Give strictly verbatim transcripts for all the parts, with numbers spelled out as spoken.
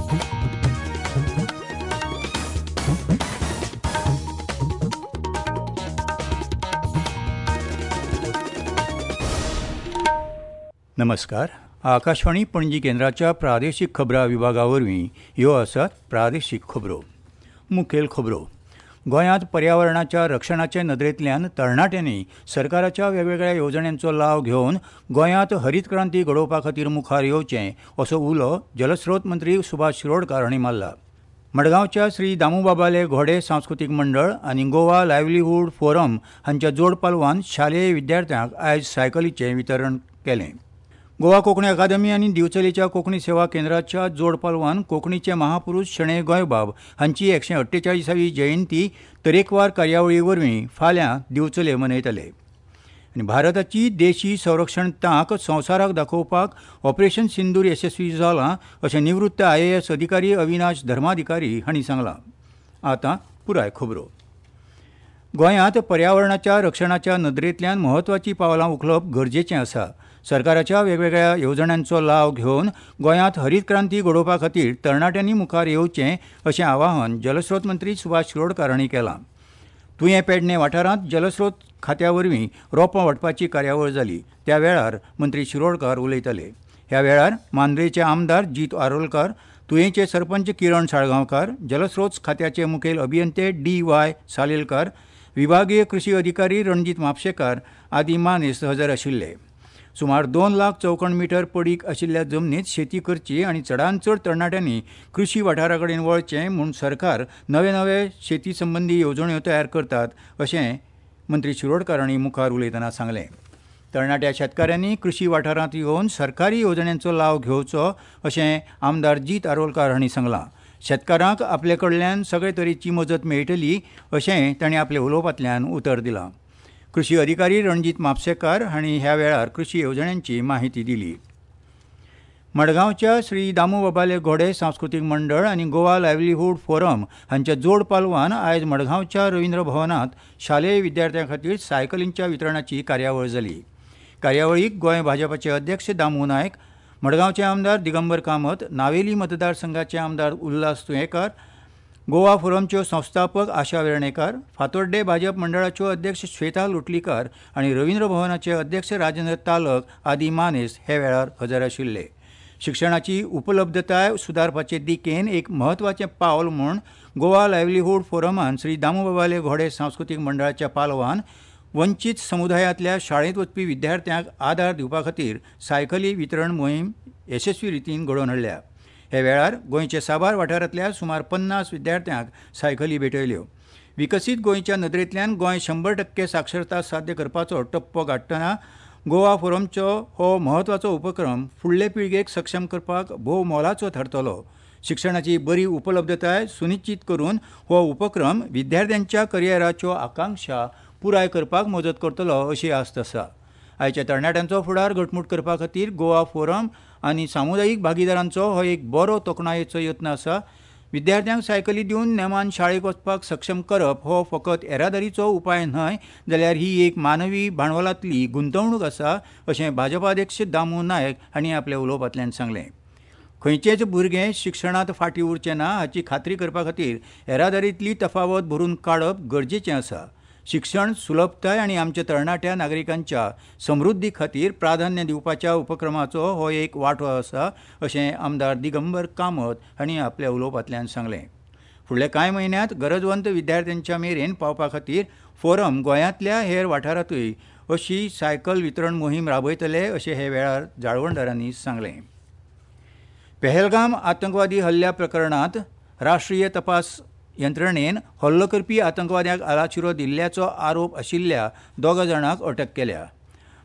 नमस्कार. आकाशवाणी पणजी केंद्राच्या प्रादेशीक खबरां विभागा वरवीं ह्यो आसात प्रादेशीक खबरो. मुखेल खबरो. गोंयांत पर्यावरणाच्या रक्षणाचे नदरेंतल्यान तरणाट्यांनी सरकाराच्या वेगवेगळ्या येवजण्यांचो लाव घेवन गोंयांत हरीत क्रांती घडोवपा खातीर मुखार येवचें असो उलो जलस्रोत मंत्री सुभाष शिरोडकार हांणी मारला. मडगांवच्या श्री दामूबाबाले घोडे सांस्कृतीक मंडळ आनी गोवा लायव्हलीहूड फोरम हांच्या जोड पालवान शालेय विद्यार्थ्यांक आयज सायकलीचें वितरण केलें. गोवा कोंकणी अकादमी आनी दिवचलेच्या कोंकणी सेवा केंद्राच्या जोड पालवान कोंकणीचे महापुरूष शणै गोंयबाब हांची एकशे अठ्ठेचाळीसावी जयंती तरेकवार कार्यावळी वरवीं फाल्यां दिवचले मनयतले. आनी भारताची देशी संरक्षण तांक संवसाराक दाखोवपाक ऑपरेशन सिंदूर येसस्वी जालां अशें निवृत्त I A S अधिकारी अविनाश धर्माधिकारी हांणी सांगलां. आतां पुराय खबरो. गोंयांत पर्यावरणाच्या रक्षणाच्या नदरेंतल्यान म्हत्वाचीं पावलां उखलप गरजेचें आसा. सरकाराच्या वेगवेगळ्या येवजण्यांचो लाव घेवन गोंयांत हरीत क्रांती घडोवपा खातीर तरणाट्यांनी मुखार येवचें अशें आवाहन जलस्रोत मंत्री सुभाष शिरोडकार हांणी केलां. तुयें पेडणें वाठारांत जलस्रोत खात्या वरवीं रोपां वांटपाची कार्यावळ जाली. त्या वेळार मंत्री शिरोडकार उलयताले. ह्या वेळार मांद्रेचे आमदार जीत आरोलकार, तुयेंचे सरपंच किरण साळगांवकार, जलस्रोत खात्याचे मुखेल अभियंते डी वाय सालेलकार, विभागीय कृशी अधिकारी रणजीत म्हापशेकार आदी मानेस्त हजर आशिल्ले. सुमार दोन लाख चौखण मिटर पडीक आशिल्ल्या जमनीत शेती करची आनी चडांत चड तरणाट्यांनी कृशी वाठारा कडेन वळचें म्हूण सरकार नवे नवे शेती संबंदी येवजण्यो तयार करतात अशें मंत्री शिरोडकार हांणी मुखार उलयतना सांगलें. तरणाट्या शेतकाऱ्यांनी कृशी वाठारांत येवन सरकारी येवजण्यांचो लाव घेवचो अशें आमदार जीत आरोलकार हांणी सांगलां. शेतकारांक आपले कडल्यान सगळे तरेची मजत मेळटली अशें तांणी आपल्या उलोवपांतल्यान उतर दिलां. कृशी अधिकारी रणजीत म्हापशेकार हांणी ह्या वेळार कृशी येवजण्यांची माहिती दिली. मडगांवच्या श्री दामूबाबाले घोडे सांस्कृतीक मंडळ आनी गोवा लायव्हलीहूड फोरम हांच्या जोड पालवान आयज मडगांवच्या रवींद्र भवनांत शालेय विद्यार्थ्यां खातीर सायकलींच्या वितरणाची कार्यावळ जाली. कार्यावळीक गोंय भाजपाचे अध्यक्ष दामू नायक, मडगांवचे आमदार दिगंबर कामत, नावेली मतदारसंघाचे आमदार उल्हास तुयेंकार, गोवा फोरमच्यो संस्थापक आशा वेर्णेकार, फातोड्डे भाजप मंडळाच्यो अध्यक्ष श्वेता लोटलीकार आनी रवींद्र भवनाचे अध्यक्ष राजेंद्र तालक आदी मानेस्त हे वेळार हजर आशिल्ले. शिक्षणाची उपलब्धताय सुदारपाचे दिकेन एक म्हत्वाचें पावल म्हूण गोवा लायव्हलीहूड फोरमान श्री दामूबाबाले घोडे सांस्कृतीक मंडळाच्या पालवान वंचीत समुदायांतल्या शाळेंत वचपी विद्यार्थ्यांक आदार दिवपा खातीर सायकली वितरण मोहीम येसस्वी रितीन घडोवन हाडल्या. हे वेळार गोंयच्या साबार वाठारांतल्या सुमार पन्नास विद्यार्थ्यांक सायकली भेटयल्यो. विकसीत गोंयच्या नदरेंतल्यान गोंय शंबर टक्के साक्षरता साध्य करपाचो टप्पो गांठटना गोवा फोरमचो हो म्हत्वाचो उपक्रम फुडले पिळगेक सक्षम करपाक भोव मोलाचो थारतलो. शिक्षणाची बरी उपलब्धताय सुनिश्चीत करून हो उपक्रम विद्यार्थ्यांच्या करियराच्यो आकांक्षा पुराय करपाक मजत करतलो अशी आस्त आसा. आयच्या तरणाट्यांचो फुडार घटमूट करपा खातीर गोवा फोरम आनी सामुदायीक भागीदारांचो हो एक बरो तोखणायेचो यत्न आसा. विद्यार्थ्यांक सायकली दिवन नेमान शाळेक वचपाक सक्षम करप हो फकत येरादारीचो उपाय न्हय जाल्यार ही एक मानवी भांडवलांतली गुंतवणूक आसा अशें भाजपाध्यक्ष दामू नायक हांणी आपल्या उलोवपांतल्यान सांगलें. खंयचेच भुरगें शिक्षणांत फाटीं उरचें ना हाची खात्री करपा खातीर येरादारींतली तफावत भरून काडप गरजेचें आसा. शिक्षण सुलभताय आनी आमच्या तरणाट्या नागरिकांच्या समृद्धी खातीर प्राधान्य दिवपाच्या उपक्रमाचो हो एक वांटो आसा अशें आमदार दिगंबर कामत हांणी आपल्या उलोवपांतल्यान सांगलें. फुडल्या कांय म्हयन्यांत गरजवंत विद्यार्थ्यांच्या मेरेन पावपा खातीर फोरम गोंयांतल्या हेर वाठारांतूय अशी सायकल वितरण मोहीम राबयतले अशें हे वेळार जाळवणदारांनी सांगलें. पेहलगाम आतंकवादी हल्ल्या प्रकरणांत राष्ट्रीय तपास यंत्रणेन हल्लो करपी आतंकवाद्यांक आलाशिरो दिल्ल्याचो आरोप आशिल्ल्या दोगा जाणांक अटक केल्या.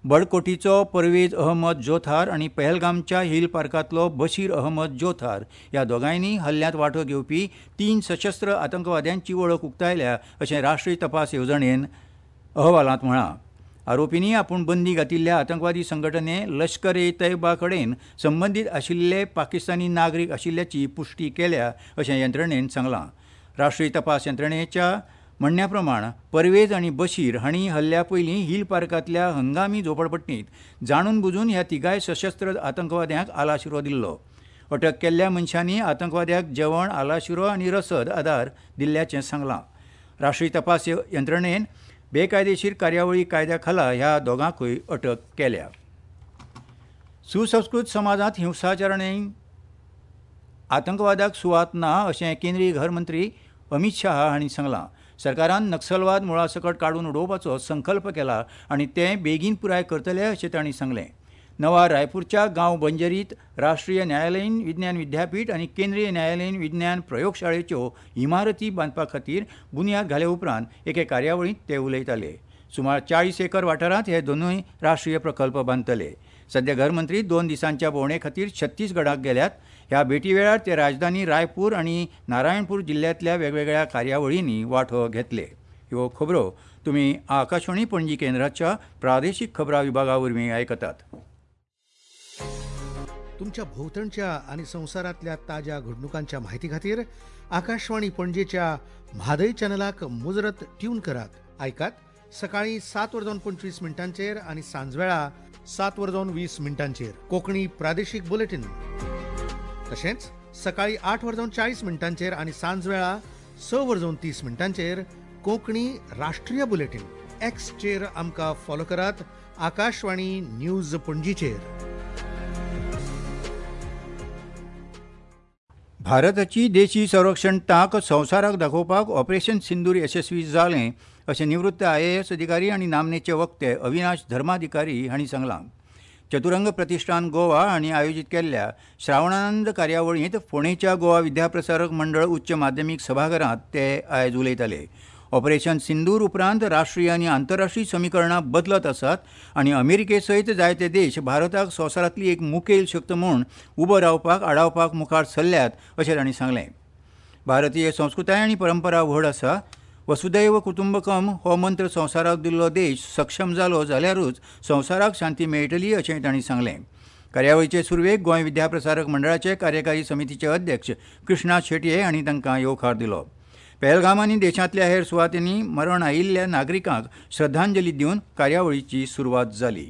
बडकोटीचो परवेज अहमद जोथार आनी पहलगामच्या हिल पार्कांतलो बशीर अहमद जोथार ह्या दोगांयनी हल्ल्यांत वांटो घेवपी तीन सशस्त्र आतंकवाद्यांची वळख उक्तायल्या अशें राष्ट्रीय तपास येवजणेन अहवालांत म्हळां. आरोपींनी आपूण बंदी घातिल्ल्या आतंकवादी संघटने लश्कर ए तैयबा कडेन संबंदीत आशिल्ले पाकिस्तानी नागरीक आशिल्ल्याची पुश्टी केल्या अशें यंत्रणेन सांगलां. राष्ट्रीय तपास यंत्रणेच्या म्हणण्या प्रमाण परवेज आनी बशीर हांणी हल्ल्या पयलीं हिल पार्कांतल्या हंगामी झोपडपट्टींत जाणून बुजून ह्या तिगाय सशस्त्र आतंकवाद्यांक आलाशिरो दिल्लो. अटक केल्ल्या मनशांनी आतंकवाद्याक जेवण, आलाशिरो आनी रसद आदार दिल्ल्याचें सांगलां. राष्ट्रीय तपास यंत्रणेन बेकायदेशीर कार्यावळी कायद्या खाला ह्या दोगांकूय अटक केल्या. सुसंस्कृत समाजांत हिंसाचार आनी आतंकवादाक सुवात ना अशें केंद्रीय घर मंत्री अमित शाह हांणी सांगलां. सरकारान नक्षलवाद मुळासकट काडून उडोवपाचो संकल्प केला आनी तें बेगीन पुराय करतले अशें तांणी सांगलें. नवा रायपूरच्या गांव बंजरीत राष्ट्रीय न्यायालयीन विज्ञान विद्यापीठ आनी केंद्रीय न्यायालयीन विज्ञान प्रयोगशाळेच्यो इमारती बांदपा खातीर बुन्याद घाले उपरांत एके कार्यावळींत ते उलयताले. सुमार चाळीस एकर वाठारांत हे दोनूय राष्ट्रीय प्रकल्प बांदतले. सध्या घरमंत्री दोन दिसांच्या भोंवडे खातीर छत्तीसगडाक गेल्यात. ह्या भेटी वेळार ते राजधानी रायपूर आनी नारायणपूर जिल्ल्यांतल्या वेगवेगळ्या कार्यावळींनी वांटो घेतले. ह्यो खबरो तुमी आकाशवाणी पणजी केंद्राच्या प्रादेशीक खबरां विभागा वरवीं आयकतात. तुमच्या भोंवतणच्या आनी संवसारांतल्या ताज्या घडणुकांच्या माहिती खातीर आकाशवाणी पणजेच्या म्हादय चॅनलाक मुजरत ट्यून करात. आयकात सकाळी सात वरां पंचवीस मिनटांचेर आनी सांजवेळा सात वरां वीस मिनटांचेर कोंकणी प्रादेशीक बुलेटीन. तशेंच सकाळी आठ वरां चाळीस मिनटांचेर आनी सांजवेळा स वरां तीस मिनटांचेर कोंकणी राष्ट्रीय बुलेटीन. एक्सचेर आमकां फॉलो करात आकाशवाणी न्यूज पणजीचेर. भारताची देशी संरक्षण तांक संवसाराक दाखोवपाक ऑपरेशन सिंदूर यशस्वी जालें अशें निवृत्त I A S अधिकारी आनी नामनेचे वक्ते अविनाश धर्माधिकारी हांणी सांगलां. चतुरंग प्रतिष्ठान गोवा हांणी आयोजीत केल्ल्या श्रावणानंद कार्यावळींत फोंडेच्या गोवा विद्याप्रसारक मंडळ उच्च माध्यमीक सभाघरांत ते आयज उलयताले. ऑपरेशन सिंदूर उपरांत राष्ट्रीय आनी आंतरराष्ट्रीय समीकरणां बदलत आसात आनी अमेरिके सयत जायते देश भारताक संवसारांतली एक मुखेल शक्त म्हूण उबो रावपाक आडावपाक मुखार सरल्यात अशें तांणी सांगलें. भारतीय संस्कृताय आनी परंपरा व्हड आसा. वसुदैव कुटुंबकम हो मंत्र संवसाराक दिल्लो देश सक्षम जालो जाल्यारूच संवसाराक शांती मेळटली अशें तांणी सांगलें. कार्यावळीचे सुरवेक गोंय विद्याप्रसारक मंडळाचे कार्यकारी समितीचे अध्यक्ष कृष्णा शेटये हांणी तांकां येवकार दिलो. पेहलगाम आनी देशांतल्या हेर सुवातींनी मरण आयिल्ल्या नागरिकांक श्रद्धांजली दिवन कार्यावळीची सुरवात जाली.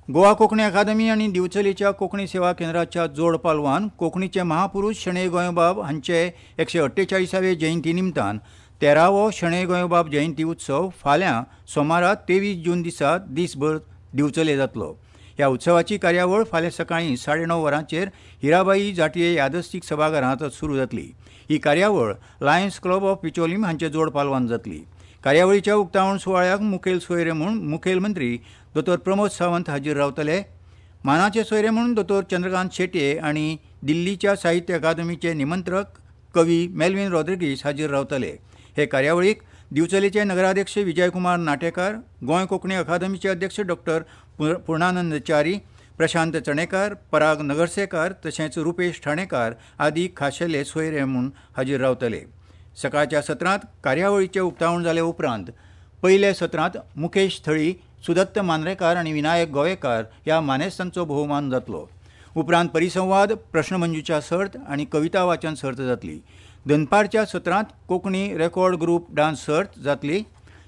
गोवा कोंकणी अकादमी आनी दिवचलेच्या कोंकणी सेवा केंद्राच्या जोड पालवान कोंकणीचे महापुरूष शणै गोंयबाब हांचे एकशे अठ्ठेचाळीसावे जयंती निमतान तेरावो शणै गोंयबाब जयंती उत्सव फाल्यां सोमारा तेवीस जून दिसा दीसभर दिवचले जातलो. ह्या उत्सवाची कार्यावळ फाल्यां सकाळीं साडे णव वरांचेर हिराबाई जाटये यादस्तीक सभाघरांत सुरू जातली. ही कार्यावळ लायन्स क्लब ऑफ बिचोलीम हांचे जोड पालवान जातली. कार्यावळीच्या उक्तावण सुवाळ्याक मुखेल सोयरे म्हूण मुखेलमंत्री दोतोर प्रमोद सावंत हाजीर रावतले. मानाचे सोयरे म्हूण दोतोर चंद्रकांत शेटये आनी दिल्लीच्या साहित्य अकादमीचे निमंत्रक कवी मेल्विन रॉड्रिगीस हाजीर रावतले. हे कार्यावळीक दिवचलेचे नगराध्यक्ष विजयकुमार नाटेकार, गोंय कोंकणी अकादमीचे अध्यक्ष डॉक्टर पूर्णानंद च्यारी, प्रशांत चणेकार, पराग नगरसेकार तशेंच रुपेश ठाणेकार आदी खाशेले सोयरे म्हूण हाजीर रावतले. सकाळच्या सत्रांत कार्यावळीचें उक्तावण जाले उपरांत पयल्या सत्रांत मुकेश थळी, सुदत्त मांद्रेकार आनी विनायक गोवेकार ह्या मानेस्तांचो भोवमान जातलो. उपरांत परिसंवाद, प्रश्नमंजुशा सर्त आनी कविता वाचन सर्त जातली. दनपारच्या सत्रांत कोंकणी रेकॉर्ड ग्रुप डान्स सर्त जातली.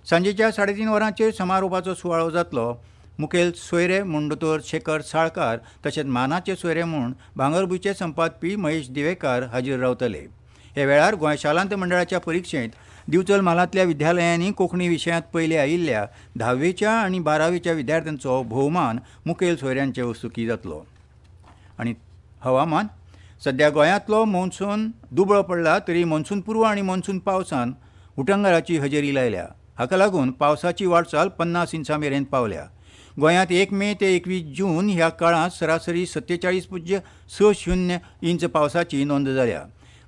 सांजेच्या साडेतीन वरांचेर समारोपाचो सुवाळो जातलो. मुखेल सोयरे म्हूण दोतोर शेखर साळकार तशेंच मानाचे सोयरे म्हूण भांगरभूंयचे संपादपी महेश दिवेकार हाजीर रावतले. हे वेळार गोंय शालांत मंडळाच्या परिक्षेंत दिवचल म्हालांतल्या विद्यालयांनी कोंकणी विशयांत पयले आयिल्ल्या धावेच्या आनी बारावेच्या विद्यार्थ्यांचो भोवमान मुखेल सोयऱ्यांचे हस्तुकीं जातलो. आनी हवामान, सध्या गोंयांतलो मॉन्सून दुबळो पडला तरी मॉन्सून पूर्व आनी मॉन्सून पावसान उटंगाराची हजेरी लायल्या. हाका लागून पावसाची वाटचाल पन्नास इंचां मेरेन पावल्या. गोंयांत एक मे ते एकवीस जून ह्या काळांत सरासरी सत्तेचाळीस पुज्य स शुन्य इंच पावसाची नोंद जाल्या.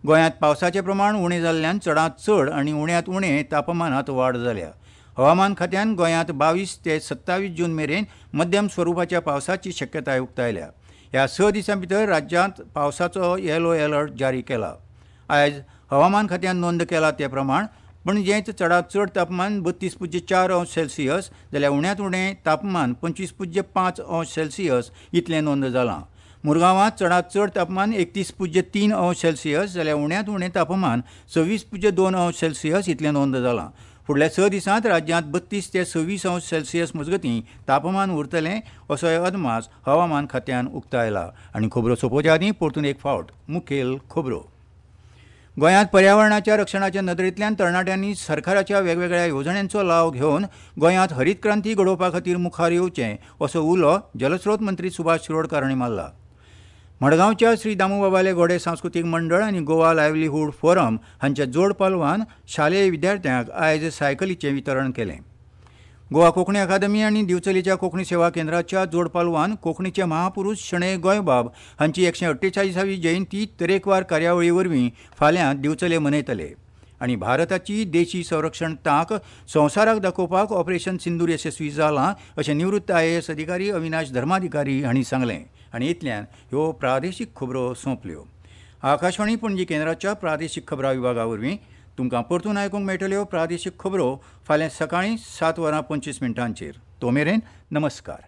गोंयांत पावसाचें प्रमाण उणें जाल्ल्यान चडांत चड आनी उण्यांत उणें तापमानांत वाड जाल्या. हवामान खात्यान गोंयांत बावीस ते सत्तावीस जून मेरेन मध्यम स्वरुपाच्या पावसाची शक्यताय उक्तायल्या. ह्या स दिसां भितर राज्यांत पावसाचो येलो अलर्ट जारी केला. आयज हवामान खात्यान नोंद केला ते प्रमाण पणजेंत चडांत चड तापमान बत्तीस पुज्य चार अंश सेल्सियस जाल्यार उण्यांत उणें तापमान पंचवीस पुज्य पांच अंश सेल्सियस इतलें नोंद जालां. मुरगांवांत चडांत चड तापमान एकतीस पुज्य तीन अंश सेल्सियस जाल्यार उण्यांत उणें तापमान सव्वीस पुज्य दोन अंश सेल्सियस इतलें नोंद जालां. फुडल्या स दिसांत राज्यांत बत्तीस ते सव्वीस अंश सेल्सियस मजगतीं तापमान उरतलें असोय अदमास हवामान खात्यान उक्तायला. आनी खबरो सोंपोवच्या आदीं परतून एक फावट मुखेल खबरो. गोंयांत पर्यावरणाच्या रक्षणाच्या नदरेंतल्यान तरणाट्यांनी सरकाराच्या वेगवेगळ्या येवजण्यांचो लाव घेवन गोंयांत हरीत क्रांती घडोवपा खातीर मुखार येवचें असो उलो जलस्रोत मंत्री सुभाष शिरोडकार हांणी मारला. मडगांवच्या श्री दामूबाबाले घोडे सांस्कृतीक मंडळ आनी गोवा लायव्हलीहूड फोरम हांच्या जोड पालवान शालेय विद्यार्थ्यांक आयज सायकलीचें वितरण केलें. गोवा कोंकणी अकादमी आनी दिवचलेच्या कोंकणी सेवा केंद्राच्या जोड पालवान कोंकणीचे महापुरूष शणै गोंयबाब हांची एकशे अठ्ठेचाळीसावी जयंती तरेकवार कार्यावळी वरवीं फाल्यां दिवचले मनयतले. आनी भारताची देशी संरक्षण तांक संवसाराक दाखोवपाक ऑपरेशन सिंदूर येसस्वी जालां अशें निवृत्त I A S अधिकारी अविनाश धर्माधिकारी हांणी सांगलें. आनी इतल्यान ह्यो प्रादेशीक खबरो सोंपल्यो. आकाशवाणी पणजी केंद्राच्या प्रादेशीक खबरां विभागा वरवीं तुमकां परतून आयकूंक मेळटल्यो प्रादेशीक खबरो फाल्यां सकाळीं सात वरां पंचवीस मिनटांचेर. तो मेरेन नमस्कार.